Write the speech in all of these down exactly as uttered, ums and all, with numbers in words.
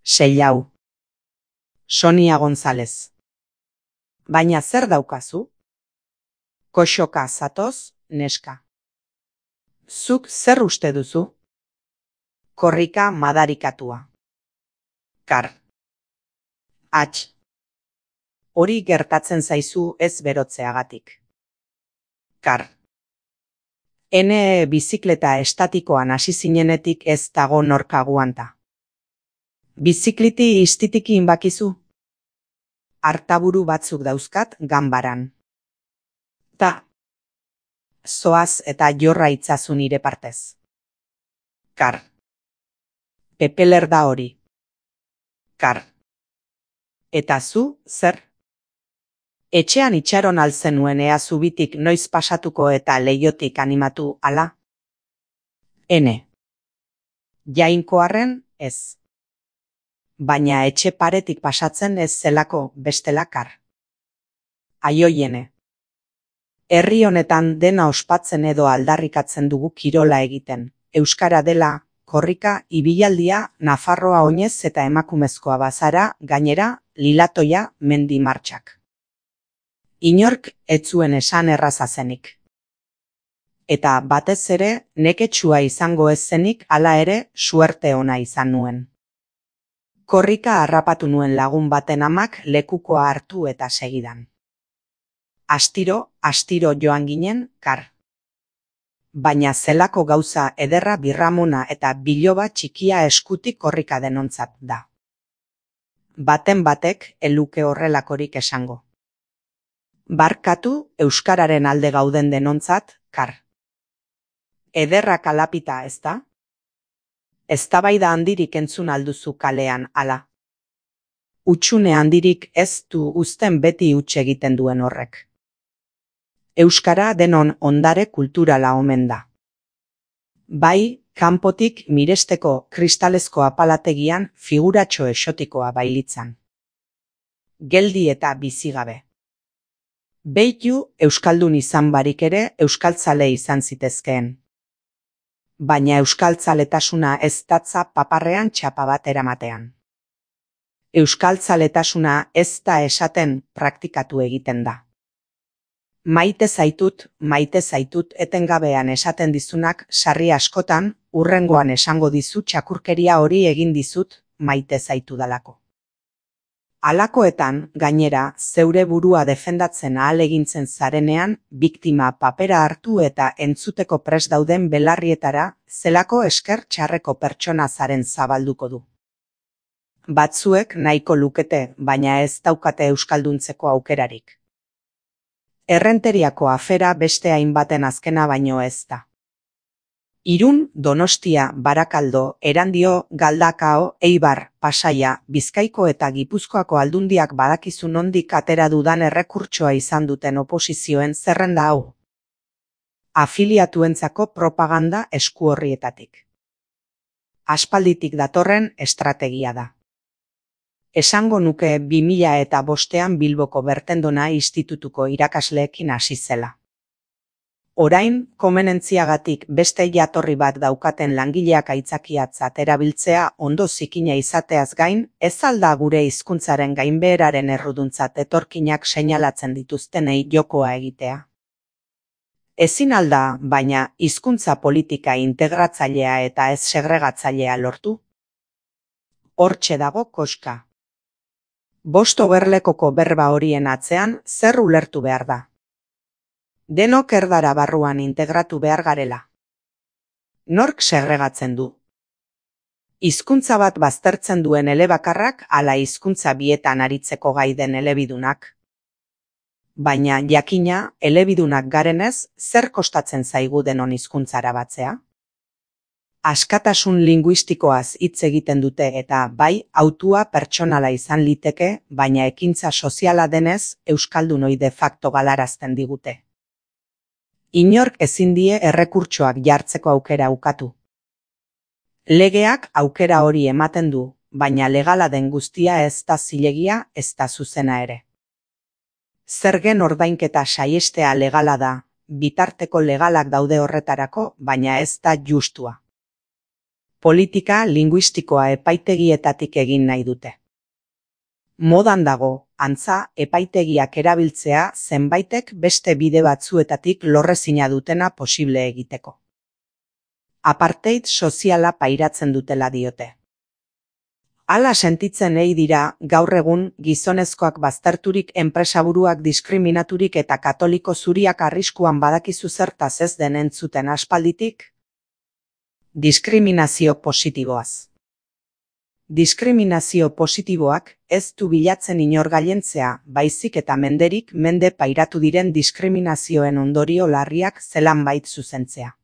Seilau. Sonia González. Baina zer daukazu? Koxoka zatoz, neska. Zuk zer uste duzu? Korrika madarikatua. Kar. Atx. Hori gertatzen zaizu ez berotzeagatik. Kar. Ene bizikleta estatikoan hasi zinenetik ez dago norka guanta. Bizikliti istitiki inbakizu? Artaburu batzuk dauzkat ganbaran. Ta. Zoaz eta jorra itzazu nire partez. Kar. Pepeler da hori. Kar. Eta zu, zer? Etxean itxaron alzenuen ea zubitik noiz pasatuko eta leiotik animatu ala? Ene. Jainkoarren, ez. Baina etxe paretik pasatzen ez zelako bestela kar. Aioiene. Herri honetan dena ospatzen edo aldarrikatzen dugu kirola egiten. Euskara dela, korrika, ibilaldia, Nafarroa oinez eta emakumezkoa bazara, gainera, lilatoia, mendi martxak. Inork ez zuen esan erraza zenik. Eta batez ere, neketsua izango ez zenik hala ere suerte ona izan nuen. Korrika harrapatu nuen lagun baten amak lekukoa hartu eta segidan. Astiro, astiro joan ginen, kar. Baina zelako gauza ederra birramuna eta biloba txikia eskutik korrika denontzat da. Baten batek eluke horrelakorik esango. Barkatu euskararen alde gauden denontzat, kar. Ederra kalapita ez da? Eztabaida handirik entzun alduzu kalean, ala. Utxune handirik ez du uzten beti huts egiten duen horrek. Euskara denon ondare kulturala omen da. Bai, kanpotik miresteko kristalezko apalategian figuratxo exotikoa bailitzan. Geldi eta bizigabe. Beitu euskaldun izan barik ere euskaltzale izan zitezkeen. Baina euskaltzaletasuna ez datza paparrean txapa bat eramatean. Euskaltzaletasuna ez da esaten praktikatu egiten da. Maite zaitut, maite zaitut etengabean esaten dizunak sarri askotan, hurrengoan esango dizu txakurkeria hori egin dizut, maite zaitu dalako. Halakoetan, gainera, zeure burua defendatzen ahalegintzen zarenean, biktima papera hartu eta entzuteko prest dauden belarrietara, zelako esker txarreko pertsona zaren zabalduko du. Batzuek nahiko lukete, baina ez daukate euskalduntzeko aukerarik. Errenteriako afera beste hainbaten azkena baino ez da. Irun, Donostia, Barakaldo, Erandio, Galdakao, Eibar, Pasaia, Bizkaiko eta Gipuzkoako aldundiak badakizu nondik atera dudan errekurtsoa izan duten oposizioen zerrenda hau. Afiliatuentzako propaganda esku horrietatik. Aspalditik datorren estrategia da. Esango nuke bi mila eta bostean Bilboko Bertendona institutuko irakasleekin hasi zela. Orain, komenentziagatik beste jatorri bat daukaten langileak aitzakiatzat erabiltzea ondo zikina izateaz gain, ez alda gure hizkuntzaren gainbeheraren erruduntzat etorkinak seinalatzen dituztenei jokoa egitea. Ezin alda, baina, hizkuntza politika integratzailea eta ez segregatzailea lortu? Hortxe dago koska. Bost ogerlekoko berba horien atzean zer ulertu behar da. Denok erdara barruan integratu behar garela. Nork segregatzen du? Hizkuntza bat baztertzen duen elebakarrak ala hizkuntza bietan aritzeko gai den elebidunak. Baina jakina, elebidunak garenez, zer kostatzen zaigu denon hizkuntzara batzea? Askatasun linguistikoaz hitz egiten dute eta bai, hautua pertsonala izan liteke, baina ekintza soziala denez, euskaldunoi de facto galarazten digute. Inork ezin die errekurtsoak jartzeko aukera ukatu. Legeak aukera hori ematen du, baina legala den guztia ez da zilegia, ez da zuzena ere. Zergen ordainketa saihestea legala da, bitarteko legalak daude horretarako, baina ez da justua. Politika linguistikoa epaitegietatik egin nahi dute. Modan dago, antza, epaitegiak erabiltzea zenbaitek beste bide batzuetatik lorrezina dutena posible egiteko. Apartheid soziala pairatzen dutela diote. Hala sentitzen ei dira gaur egun gizonezkoak bazterturik, enpresaburuak diskriminaturik eta katoliko zuriak arriskuan badakizu zertaz ez den entzuten aspalditik? Diskriminazio positiboaz. Diskriminazio positiboak ez du bilatzen inor gailentzea, baizik eta menderik mende pairatu diren diskriminazioen ondorio larriak zelanbait zuzentzea.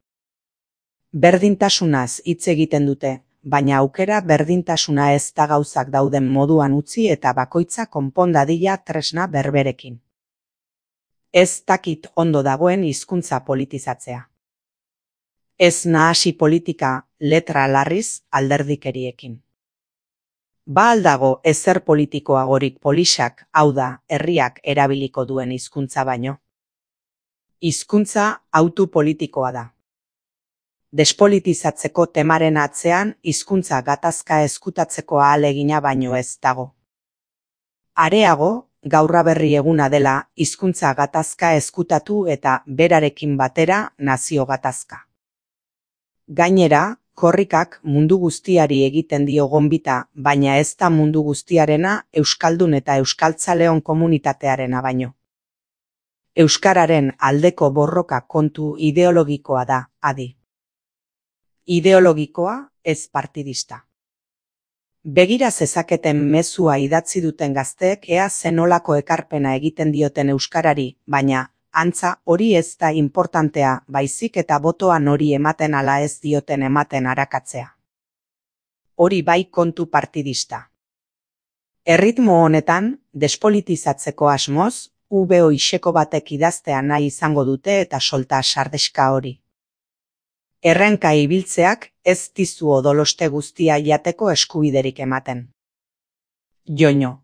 Berdintasunaz hitz egiten dute, baina aukera berdintasuna ez da gauzak dauden moduan utzi eta bakoitza konpon dadila tresna berberekin. Ez dakit ondo dagoen hizkuntza politizatzea. Ez nahasi politika letra larriz alderdikeriekin. Ba aldago ezer politikoagorik polixak, hau da, herriak erabiliko duen hizkuntza baino. Hizkuntza hautu politikoa da. Despolitizatzeko temaren atzean hizkuntza gatazka ezkutatzeko ahalegina baino ez dago. Areago, gaur berri eguna dela hizkuntza gatazka ezkutatu eta berarekin batera nazio gatazka. Gainera, korrikak mundu guztiari egiten dio gonbita, baina ez da mundu guztiarena euskaldun eta euskaltzaleon komunitatearena baino. Euskararen aldeko borroka kontu ideologikoa da, adi. Ideologikoa, ez partidista. Begira zezaketen mezua idatzi duten gazteek ea zenolako ekarpena egiten dioten euskarari, baina antza hori ez da importantea, baizik eta botoan hori ematen ala ez dioten ematen arakatzea. Hori bai kontu partidista. Erritmo honetan, despolitizatzeko asmoz, ubeo iseko batek idaztea nahi izango dute eta solta sardeska hori. Errenka ibiltzeak ez dizu odoloste guztia jateko eskubiderik ematen. Joño.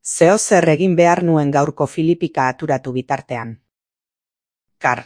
Zeo zer egin behar nuen gaurko filipika aturatu bitartean. Kar.